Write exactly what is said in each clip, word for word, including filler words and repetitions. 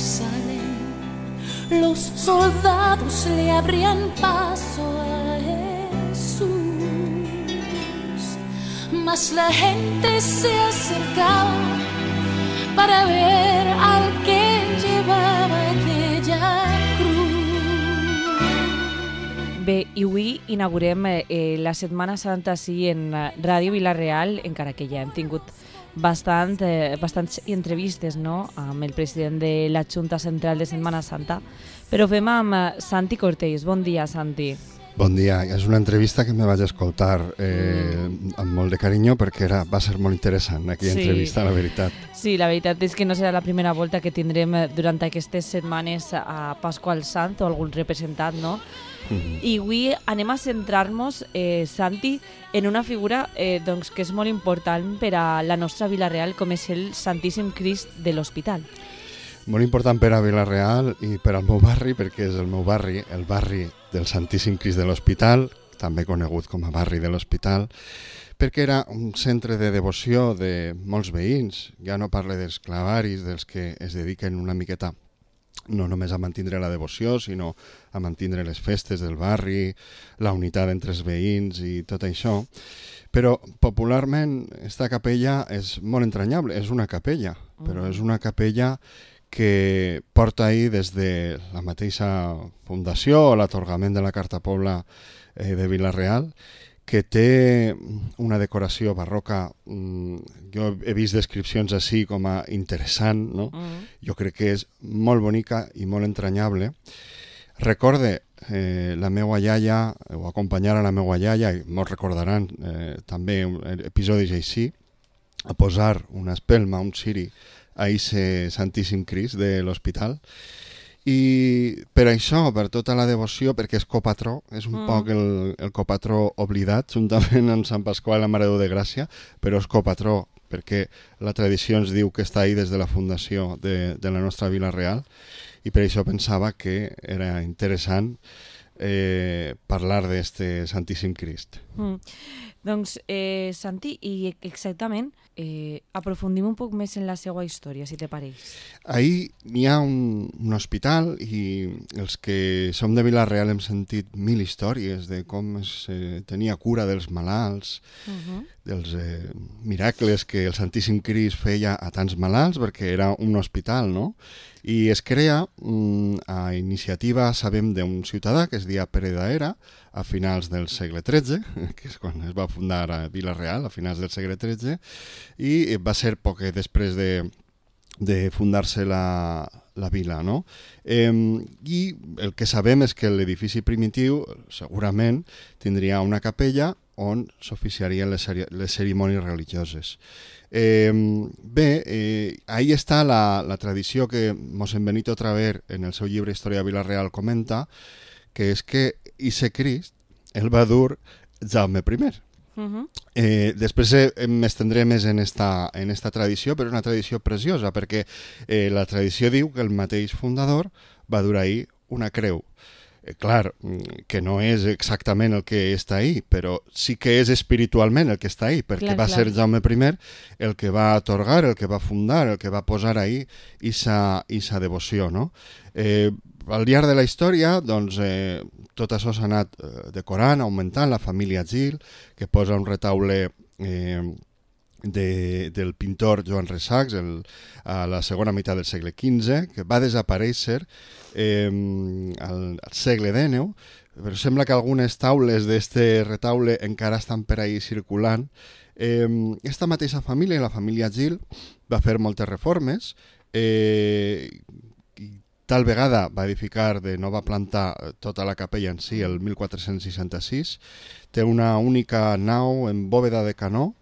Jerusalén, los soldados le abrían paso a Jesús, mas la gente se acercaba para ver al que llevaba aquella cruz. Bé, i avui inaugurem eh, la Setmana Santa sí en Ràdio Vila-real, encara que ja hem tingut bastant, eh, bastants entrevistes, no?, amb el president de la Junta Central de Setmana Santa, però fem amb Santi Cortells. Bon dia, Santi. Bon dia. És una entrevista que me vaig escoltar eh, mm. amb molt de carinyo perquè era, va ser molt interessant aquella sí. entrevista, la veritat. Sí, la veritat és que no serà la primera volta que tindrem durant aquestes setmanes a Pasqual Sant o algun representant, no? Mm-hmm. I avui anem a centrar-nos, eh, Santi, en una figura eh, doncs, que és molt important per a la nostra Vila-real, com és el Santíssim Crist de l'Hospital. Molt important per a Vila-real i per al meu barri, perquè és el meu barri, el barri del Santíssim Crist de l'Hospital, també conegut com a barri de l'Hospital, perquè era un centre de devoció de molts veïns. Ja no parlo dels clavaris, dels que es dediquen una miqueta no només a mantindre la devoció, sinó a mantindre les festes del barri, la unitat entre els veïns i tot això. Però popularment esta capella és molt entranyable, és una capella, però és una capella que porta ahí des de la mateixa fundació o l'atorgament de la Carta Pobla eh, de Vila-real, que té una decoració barroca. Jo he vist descripcions així com a interessant, no? Mm. Jo crec que és molt bonica i molt entranyable. Recorde eh, la meua iaia, o acompanyar a la meua iaia, i molts recordaran eh, també episodis així, a posar una espelma, un ciri, a ese Santíssim Crist de l'Hospital. I per això, per tota la devoció, perquè és copatró, és un mm. poc el, el copatró oblidat, juntament amb Sant Pasqual i la Mare de Déu de Gràcia, però és copatró perquè la tradició ens diu que està ahí des de la fundació de, de la nostra Vila-real, i per això pensava que era interessant eh, parlar d'este Santíssim Crist. Mm. Doncs, eh, Santi, i exactament, eh, aprofundim un poc més en la seva història, si te pareix. Ahí hi ha un, un hospital i els que som de Vila-real hem sentit mil històries de com es eh, tenia cura dels malalts, uh-huh. dels eh, miracles que el Santíssim Crist feia a tants malalts, perquè era un hospital, no? I es crea mm, a iniciativa, sabem, d'un ciutadà que es deia Pere d'Aera, a finals del segle tretze, que és quan es va fundar a Vila-real, a finals del segle tretze, i va ser poc després de, de fundar-se la, la vila, no? Eh, I el que sabem és que l'edifici primitiu segurament tindria una capella on s'oficiarien les, les cerimònies religioses. Eh, bé, eh, ahí està la, la tradició que Mossèn Benito Traver en el seu llibre Història de Vila-real comenta, que és que ese Crist el va dur Jaume primer. Uh-huh. Eh, després eh, m'estendré més en esta, en esta tradició, però és una tradició preciosa, perquè eh, la tradició diu que el mateix fundador va dur ahí una creu. Eh, clar, que no és exactament el que està ahí, però sí que és espiritualment el que està ahí, perquè clar, va clar. ser Jaume primer el que va atorgar, el que va fundar, el que va posar ahí esa, esa devoció, no? Eh, al llarg de la història, doncs, eh, tot això s'ha anat eh, decorant, augmentant. La família Gil, que posa un retaule eh, de, del pintor Joan Rexacs el, a la segona meitat del segle quinze, que va desaparèixer eh, al, al segle dènou, però sembla que algunes taules d'este retaule encara estan per ahí circulant. Eh, esta mateixa família, la família Gil, va fer moltes reformes, eh, tal vegada va edificar de nova planta tota la capella en si el mil quatre-cents seixanta-sis. Té una única nau en bòveda de canó,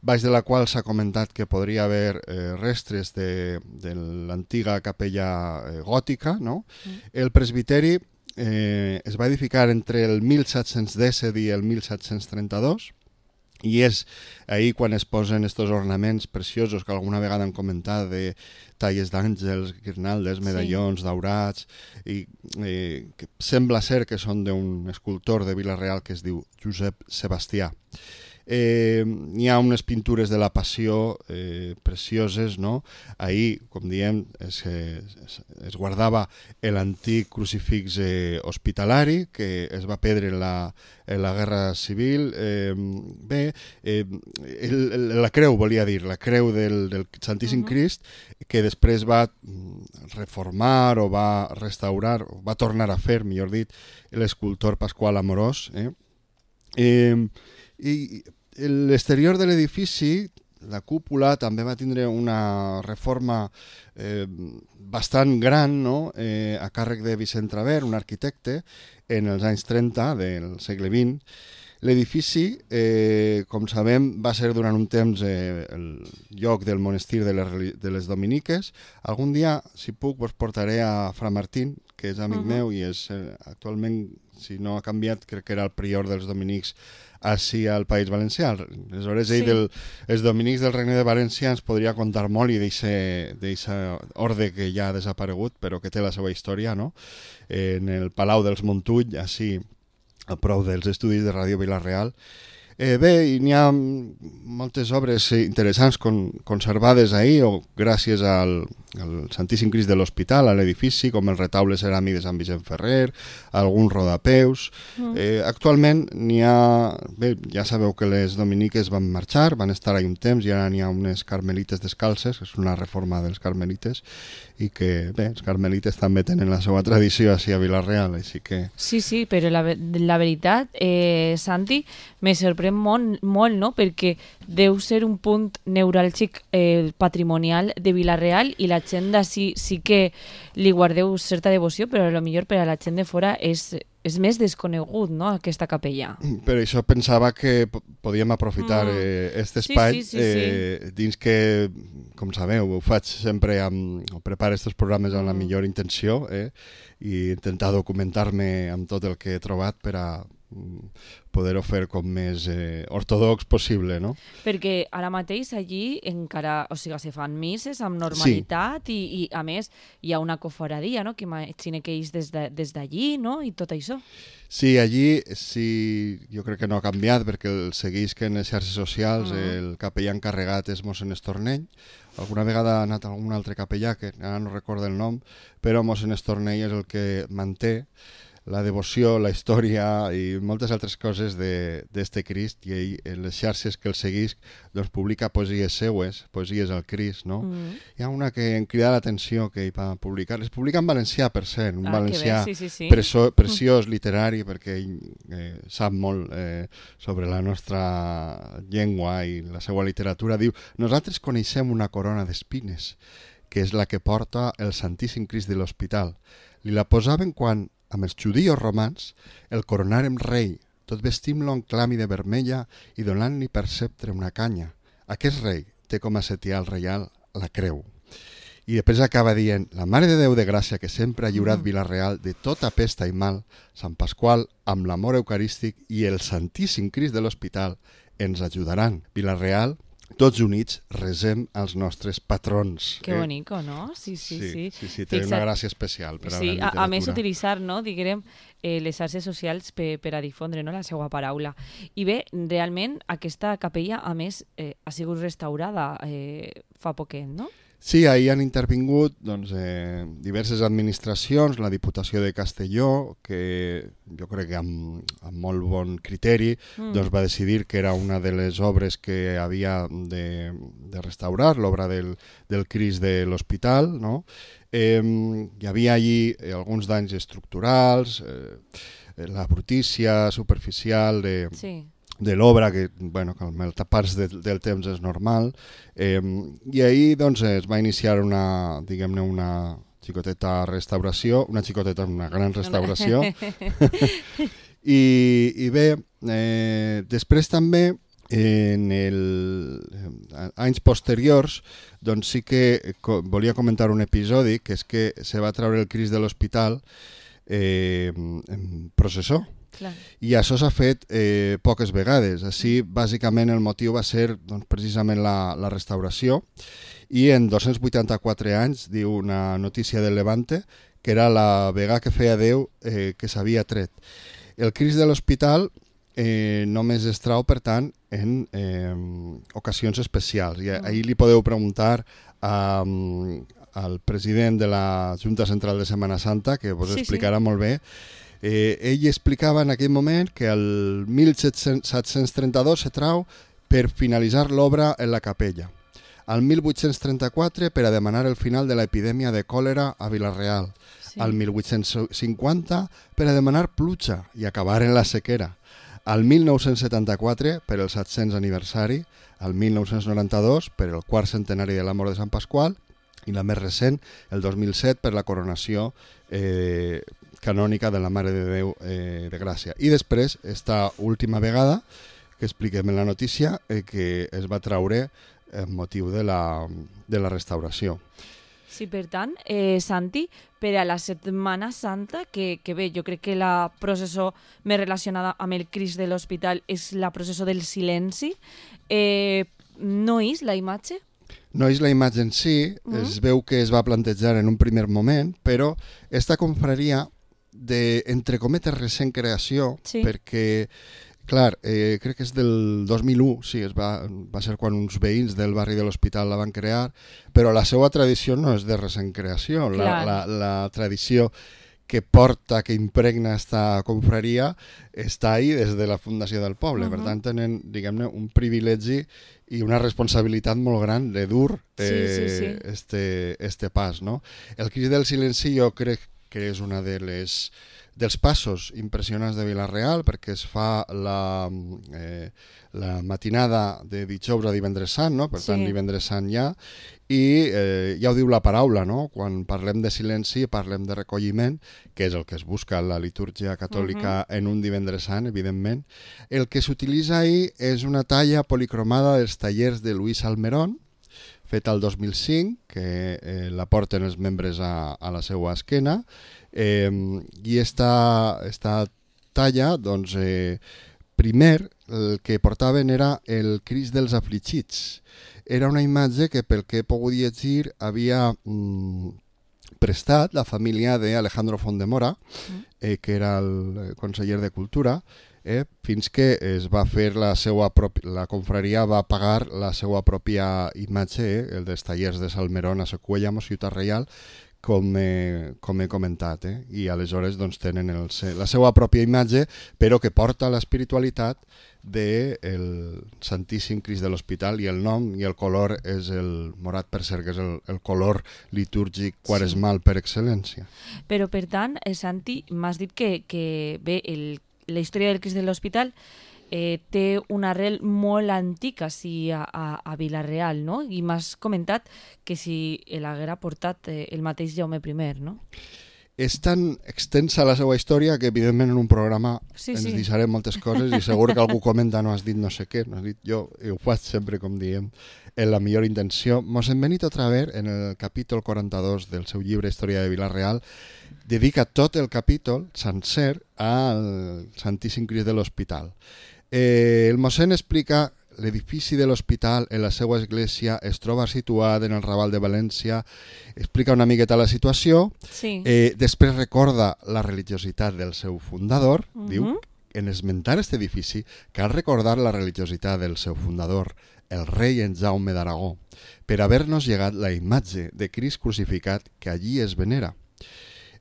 baix de la qual s'ha comentat que podria haver eh, restres de, de l'antiga capella eh, gòtica, no? Mm. El presbiteri eh, es va edificar entre el mil set-cents disset i el mil set-cents trenta-dos, i és ahí quan es posen estos ornaments preciosos que alguna vegada han comentat de talles d'àngels, guirnaldes, medallons, sí. daurats, i eh, que sembla ser que són d'un escultor de Vila-real que es diu Josep Sebastià. Eh, n'hi ha unes pintures de la Passió eh, precioses, no? Ahir, com diem, es, es, es guardava l'antic crucifix eh, hospitalari que es va perdre en la, en la Guerra Civil. Eh, bé, eh, el, el, la creu, volia dir, la creu del, del Santíssim uh-huh. Crist, que després va reformar o va restaurar, o va tornar a fer, millor dit, l'escultor Pasqual Amorós. Eh? Eh, I l'exterior de l'edifici, la cúpula, també va tindre una reforma eh, bastant gran, no? eh, a càrrec de Vicent Traver, un arquitecte, en els anys trenta del segle vint. L'edifici, eh, com sabem, va ser durant un temps eh, el lloc del monestir de les, de les Dominiques. Algun dia, si puc, vos portaré a Fra Martín, que és amic uh-huh. meu i és eh, actualment, si no ha canviat, crec que era el prior dels dominics així al País Valencià. Aleshores, ell, sí. del, els dominics del Regne de València ens podria contar molt i d'aquesta orde que ja ha desaparegut, però que té la seva història, no? En el Palau dels Montull, així, a prou dels estudis de Ràdio Vila-real. Eh, bé, n'hi ha moltes obres interessants con, conservades ahir, o gràcies al, al Santíssim Crist de l'Hospital, a l'edifici, com el retaule ceràmic de Sant Vicent Ferrer, alguns rodapeus. Mm. Eh, actualment n'hi ha... Bé, ja sabeu que les dominiques van marxar, van estar ahí un temps, i ara n'hi ha unes carmelites descalces, que és una reforma dels carmelites, i que, bé, els carmelites també tenen la seva tradició així a Vila-real, així que... Sí, sí, però la, la veritat, eh, Santi, me sorprèn molt, molt, no?, perquè deu ser un punt neuràlgic eh, patrimonial de Vila-real i la gent d'ací sí que li guardeu certa devoció, però a lo millor per a la gent de fora és... és més desconegut, no?, aquesta capella. Per això pensava que podíem aprofitar mm. eh, aquest espai, sí, sí, sí, eh, sí. dins que, com sabeu, ho faig sempre, amb, o preparo aquests programes amb la millor intenció, eh, i intentar documentar-me amb tot el que he trobat per a poder-ho fer com més eh, ortodox possible, no? Perquè ara mateix allí encara, o sigui, se fan misses amb normalitat sí. i, i a més hi ha una cofradia, no?, que imagina que és des d'allí, no?, i tot això. Sí, allí sí, jo crec que no ha canviat perquè el segueix que en les xarxes socials mm. el capellà encarregat és mossèn Estornell. Alguna vegada ha anat algun altre capellà, que ara no recordo el nom, però mossèn Estornell és el que manté la devoció, la història i moltes altres coses d'este Crist, i ell, en les xarxes que el seguís, doncs publica poesies seues, poesies al Crist, no? Mm. Hi ha una que em crida l'atenció que ell va publicar, les publica en valencià, per cert, un ah, valencià sí, sí, sí. Preso, preciós, literari, perquè ell eh, sap molt eh, sobre la nostra llengua i la seva literatura. Diu, nosaltres coneixem una corona d'espines, que és la que porta el Santíssim Crist de l'Hospital. Li la posaven quan amb els judíos romans, el coronàrem rei, tot vestint-lo en clàmide vermella i donant-li per sceptre una canya. Aquest rei té com a setial reial la creu. I després acaba dient, la Mare de Déu de Gràcia que sempre ha lliurat mm. Vila-real de tota pesta i mal, Sant Pasqual, amb l'amor eucarístic i el Santíssim Crist de l'Hospital ens ajudaran. Vila-real, tots units resem als nostres patrons. Que eh? bonico, no? Sí, sí, sí. Sí, sí, sí té una gràcia especial per a sí, la literatura. A, a més, utilitzar, no, diguem, eh, les xarxes socials per, per a difondre, no, la seva paraula. I bé, realment, aquesta capella, a més, eh, ha sigut restaurada eh, fa poquet, no? Sí, ahir han intervingut doncs, eh, diverses administracions, la Diputació de Castelló, que jo crec que amb, amb molt bon criteri mm. doncs, va decidir que era una de les obres que havia de, de restaurar, l'obra del, del Crist de l'Hospital, no? Eh, hi havia allí eh, alguns danys estructurals, eh, la brutícia superficial de... Sí. de l'obra, que, bueno, que el tapar-se de, del temps és normal, eh, i ahir doncs, es va iniciar una, diguem-ne, una xicoteta restauració, una xicoteta, una gran restauració, I, i bé, eh, després també, en el, anys posteriors, doncs sí que co volia comentar un episodi, que és que se va treure el Crist de l'Hospital eh, en processó. Clar. I això s'ha fet eh, poques vegades. Així, bàsicament, el motiu va ser doncs, precisament la, la restauració, i en dos-cents vuitanta-quatre anys, diu una notícia del Levante, que era la vegada que feia Déu eh, que s'havia tret. El Crist de l'Hospital eh, només es trau, per tant, en eh, ocasions especials. I ahir li podeu preguntar a, al president de la Junta Central de Setmana Santa, que vos Sí, explicarà molt bé. Eh, ell explicava en aquell moment que el mil set-cents trenta-dos se trau per finalitzar l'obra en la capella. Al mil vuit-cents trenta-quatre per a demanar el final de l'epidèmia de còlera a Vila-real. Sí. Al mil vuit-cents cinquanta per a demanar pluja i acabar en la sequera. Al mil nou-cents setanta-quatre per el set-cents aniversari, al mil nou-cents noranta-dos per el quart centenari de la mort de Sant Pasqual i la més recent, el dos mil set, per la coronació eh, canònica de la Mare de Déu eh, de Gràcia. I després, esta última vegada que expliquem en la notícia, eh, que es va traure en motiu de la, de la restauració. Sí, per tant, eh, Santi, per a la Setmana Santa, que, que bé, jo crec que la processó més relacionada amb el Crist de l'Hospital és la processó del silenci, eh, no és la imatge? No és la imatge en si, mm. es veu que es va plantejar en un primer moment, però esta confraria de, entre cometes, recent creació, sí. perquè clar, eh, crec que és del dos mil u, sí, es va, va ser quan uns veïns del barri de l'Hospital la van crear, però la seva tradició no és de recent creació. La, la, la tradició que porta, que impregna esta confraria, està ahí des de la fundació del poble. Uh -huh. Per tant, tenen, diguem-ne, un privilegi i una responsabilitat molt gran de dur eh, sí, sí, sí. Este, este pas, no? El Crist del Silenci jo crec que és una de les dels passos impressionants de Vila-real, perquè es fa la, eh, la matinada de dijous a divendres sant, no? Per sí. tant, divendres sant ja, i eh, ja ho diu la paraula, no? Quan parlem de silenci parlem de recolliment, que és el que es busca en la litúrgia catòlica uh-huh. en un divendres sant, evidentment. El que s'utilitza ahir és una talla policromada dels tallers de Luis Almerón, feta el dos mil cinc, que eh, la porten els membres a, a la seva esquena, eh, i esta, esta talla, doncs, eh, primer el que portaven era el Crist dels afligits. Era una imatge que, pel que he pogut llegir, havia mm, prestat la família d'Alejandro Fondemora, eh, que era el conseller de Cultura, Eh, fins que es va fer la seva pròpia, la confraria va pagar la seva pròpia imatge, eh, el dels tallers de Salmerón a Secuella, a Ciutat Reial, com, eh, com he comentat, eh? I aleshores doncs, tenen el, la seva pròpia imatge, però que porta l'espiritualitat del Santíssim Crist de l'Hospital, i el nom i el color és el morat, per cert, que és el, el color litúrgic quaresmal sí. per excel·lència. Però, per tant, eh, Santi, m'has dit que, que bé, el la història del Crist de l'Hospital eh, té una arrel molt antiga sí, a, a, a Vila-real, no? I m'has comentat que si l'haguera portat eh, el mateix Jaume I, no? És tan extensa la seva història que, evidentment, en un programa sí, ens sí. deixarem moltes coses i segur que algú comenta no has dit no sé què, no has dit jo, i ho faig sempre, com diem, en la millor intenció. Mossèn Benito Traver, en el capítol quaranta-dos del seu llibre Història de Vila-real, dedica tot el capítol sencer al Santíssim Crist de l'Hospital. Eh, el mossèn explica l'edifici de l'hospital en la seva església es troba situat en el Raval de València, explica una miqueta la situació, sí. eh, després recorda la religiositat del seu fundador, uh-huh. diu, en esmentar aquest edifici cal recordar la religiositat del seu fundador, el rei en Jaume d'Aragó, per haver-nos llegat la imatge de Crist crucificat que allí es venera.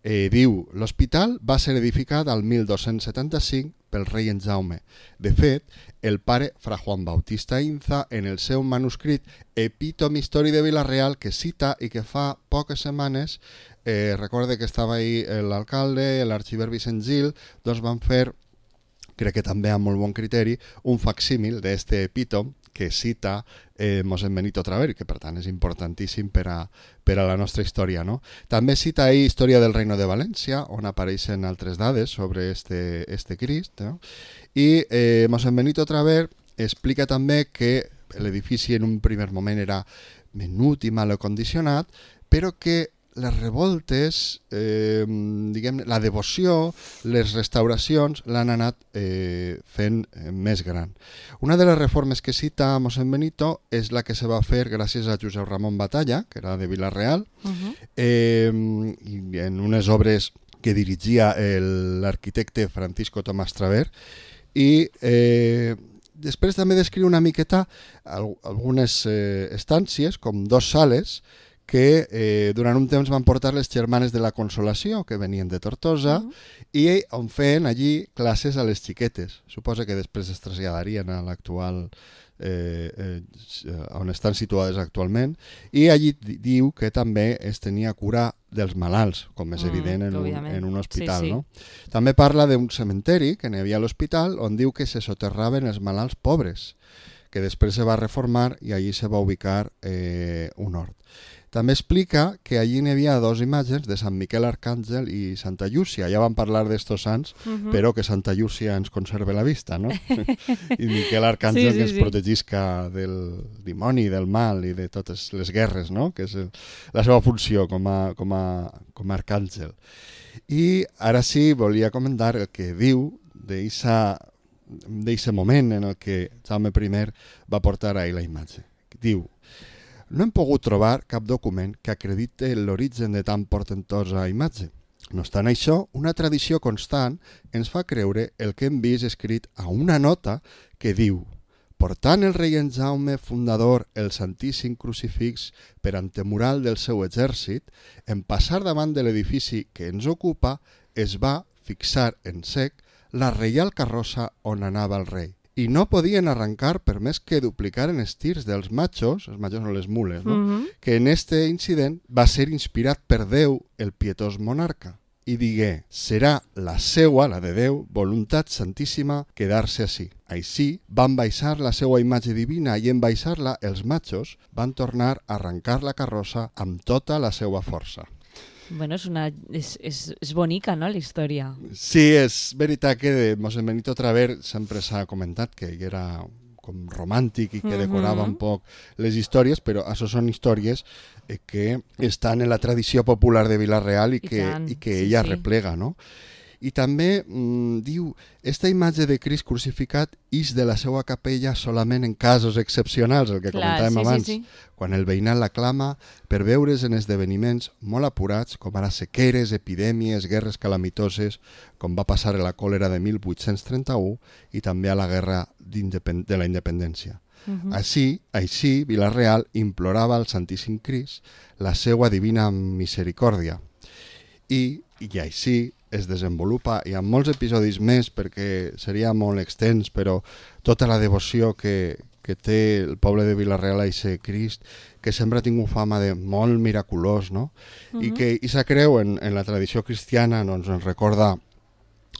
Eh, diu, l'hospital va ser edificat al mil dos-cents setanta-cinc pel rei en Jaume. De fet, el pare Fra Juan Bautista Inza, en el seu manuscrit Epítome Història de Vila-real, que cita i que fa poques setmanes, eh, recorde que estava ahí l'alcalde, l'arxiver Vicent Gil, doncs van fer, crec que també amb molt bon criteri, un facsímil d'este epítome que cita eh, Mossèn Benito Traver, que per tant és importantíssim per a, per a la nostra història, no? També cita ahí Història del Reino de València, on apareixen altres dades sobre este, este Crist, no? I eh, Mossèn Benito Traver explica també que l'edifici en un primer moment era menut i mal acondicionat, però que les revoltes, eh, diguem, la devoció, les restauracions l'han anat eh, fent eh, més gran. Una de les reformes que cita Mossèn Benito és la que se va fer gràcies a Josep Ramon Batalla, que era de Vila-real, uh-huh. eh, i en unes obres que dirigia l'arquitecte Francisco Tomàs Traver, I eh, després també descriu una miqueta algunes eh, estàncies, com dos sales, que eh, durant un temps van portar les germanes de la Consolació, que venien de Tortosa, uh -huh. i on feien allí classes a les xiquetes. Suposa que després es traslladarien a l'actual, eh, eh, on estan situades actualment, i allí diu que també es tenia cura dels malalts, com és evident en, un, en un hospital. Sí, sí. No? També parla d'un cementeri que n'hi havia a l'hospital, on diu que se soterraven els malalts pobres, que després se va reformar i allí se va ubicar eh, un hort. També explica que allí n'hi havia dos imatges de Sant Miquel Arcàngel i Santa Llúcia. Ja vam parlar d'estos sants, uh-huh. però que Santa Llúcia ens conserve la vista, no? I Miquel Arcàngel sí, sí, que ens sí. protegisca del dimoni, del mal i de totes les guerres, no? Que és el, la seva funció com a, com a, com a arcàngel. I ara sí, volia comentar el que diu d'aquest moment en el que Jaume primer va portar ahir la imatge. Diu: no hem pogut trobar cap document que acredite l'origen de tan portentosa imatge. No obstant això, una tradició constant ens fa creure el que hem vist escrit a una nota que diu: portant el rei en Jaume fundador el Santíssim Crucifix per antemural del seu exèrcit, en passar davant de l'edifici que ens ocupa, es va fixar en sec la reial carrossa on anava el rei. I no podien arrencar per més que duplicaren els tirs dels machos, els machos són les mules, no? Uh-huh. Que en este incident va ser inspirat per Déu, el pietós monarca. I digué: serà la seua, la de Déu, voluntat santíssima quedar-se així. Així van baixar la seua imatge divina i en baixar-la els machos van tornar a arrencar la carrossa amb tota la seua força. Bueno, és, una, és, és, és bonica, no?, la història. Sí, és veritat que de Mossèn Benito Traver sempre s'ha comentat que era com romàntic i que decorava uh-huh. un poc les històries, però això són històries eh, que estan en la tradició popular de Vila-real i, I, que, i que sí, ella sí. replega, no? I també mmm, diu, esta imatge de Crist crucificat ix de la seva capella solament en casos excepcionals, el que Clar, comentàvem sí, abans, sí, sí. quan el veïnat la clama per veure's en esdeveniments molt apurats, com ara sequeres, epidèmies, guerres calamitoses, com va passar a la còlera de mil vuit-cents trenta-u i també a la guerra de la independència. Uh-huh. Així, així, Vila-real implorava al Santíssim Crist la seva divina misericòrdia. I, i així es desenvolupa, i amb molts episodis més perquè seria molt extens, però tota la devoció que, que té el poble de Vila-real a aquest Crist, que sempre ha tingut fama de molt miraculós, no? Uh-huh. I que aquesta creu en, en la tradició cristiana doncs, ens recorda,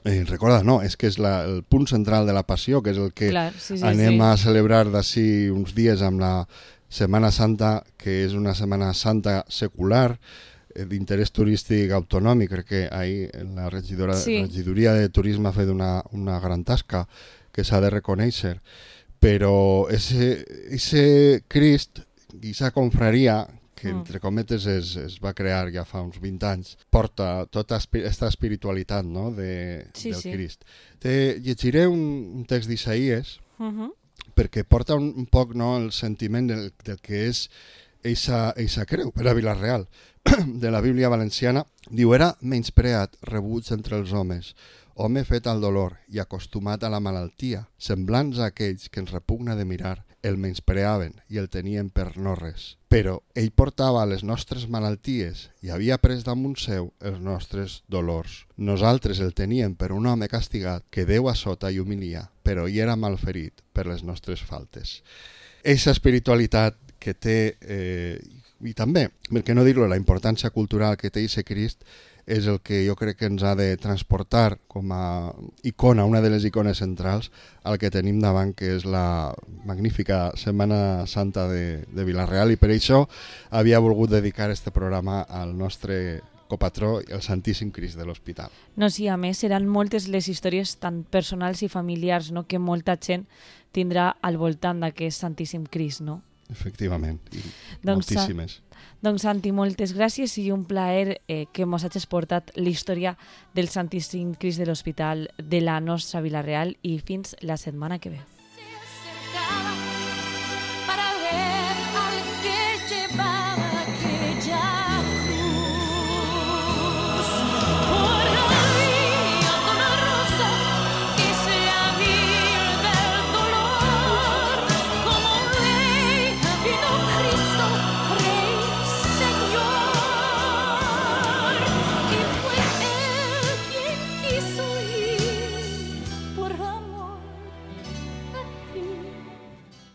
eh, recorda no, és que és la, el punt central de la passió, que és el que Clar, sí, sí, anem sí. a celebrar d'ací uns dies amb la Setmana Santa, que és una Setmana Santa secular, d'interès turístic autonòmic. Crec que ahir la regidora, sí. regidoria de turisme ha fet una, una gran tasca que s'ha de reconèixer, però ese, ese Crist i esa confraria que entre cometes es, es va crear ja fa uns vint anys, porta tota aquesta espiritualitat, no? de, sí, del sí. Crist. Te llegiré un, un text d'Isaïes uh-huh. perquè porta un, un poc, no, el sentiment del, del que és eixa, eixa creu per a Vila-real. De la Bíblia valenciana, diu: era menyspreat, rebuig entre els homes, home fet al dolor i acostumat a la malaltia, semblants a aquells que ens repugna de mirar, el menyspreaven i el tenien per no res. Però ell portava les nostres malalties i havia pres damunt seu els nostres dolors. Nosaltres el teníem per un home castigat que Déu a sota i humilia, però ell era malferit per les nostres faltes. Eixa espiritualitat que té... Eh, i també, per què no dir-ho, la importància cultural que té aquest Crist és el que jo crec que ens ha de transportar com a icona, una de les icones centrals, al que tenim davant, que és la magnífica Setmana Santa de, de Vila-real, i per això havia volgut dedicar este programa al nostre copatró, el Santíssim Crist de l'Hospital. No, sí, a més, seran moltes les històries tan personals i familiars, no?, que molta gent tindrà al voltant d'aquest Santíssim Crist, no? Efectivament, i doncs, moltíssimes. Doncs Santi, moltes gràcies i un plaer eh, que mos hagis portat la història del Santíssim Crist de l'Hospital de la nostra Vila-real, i fins la setmana que ve.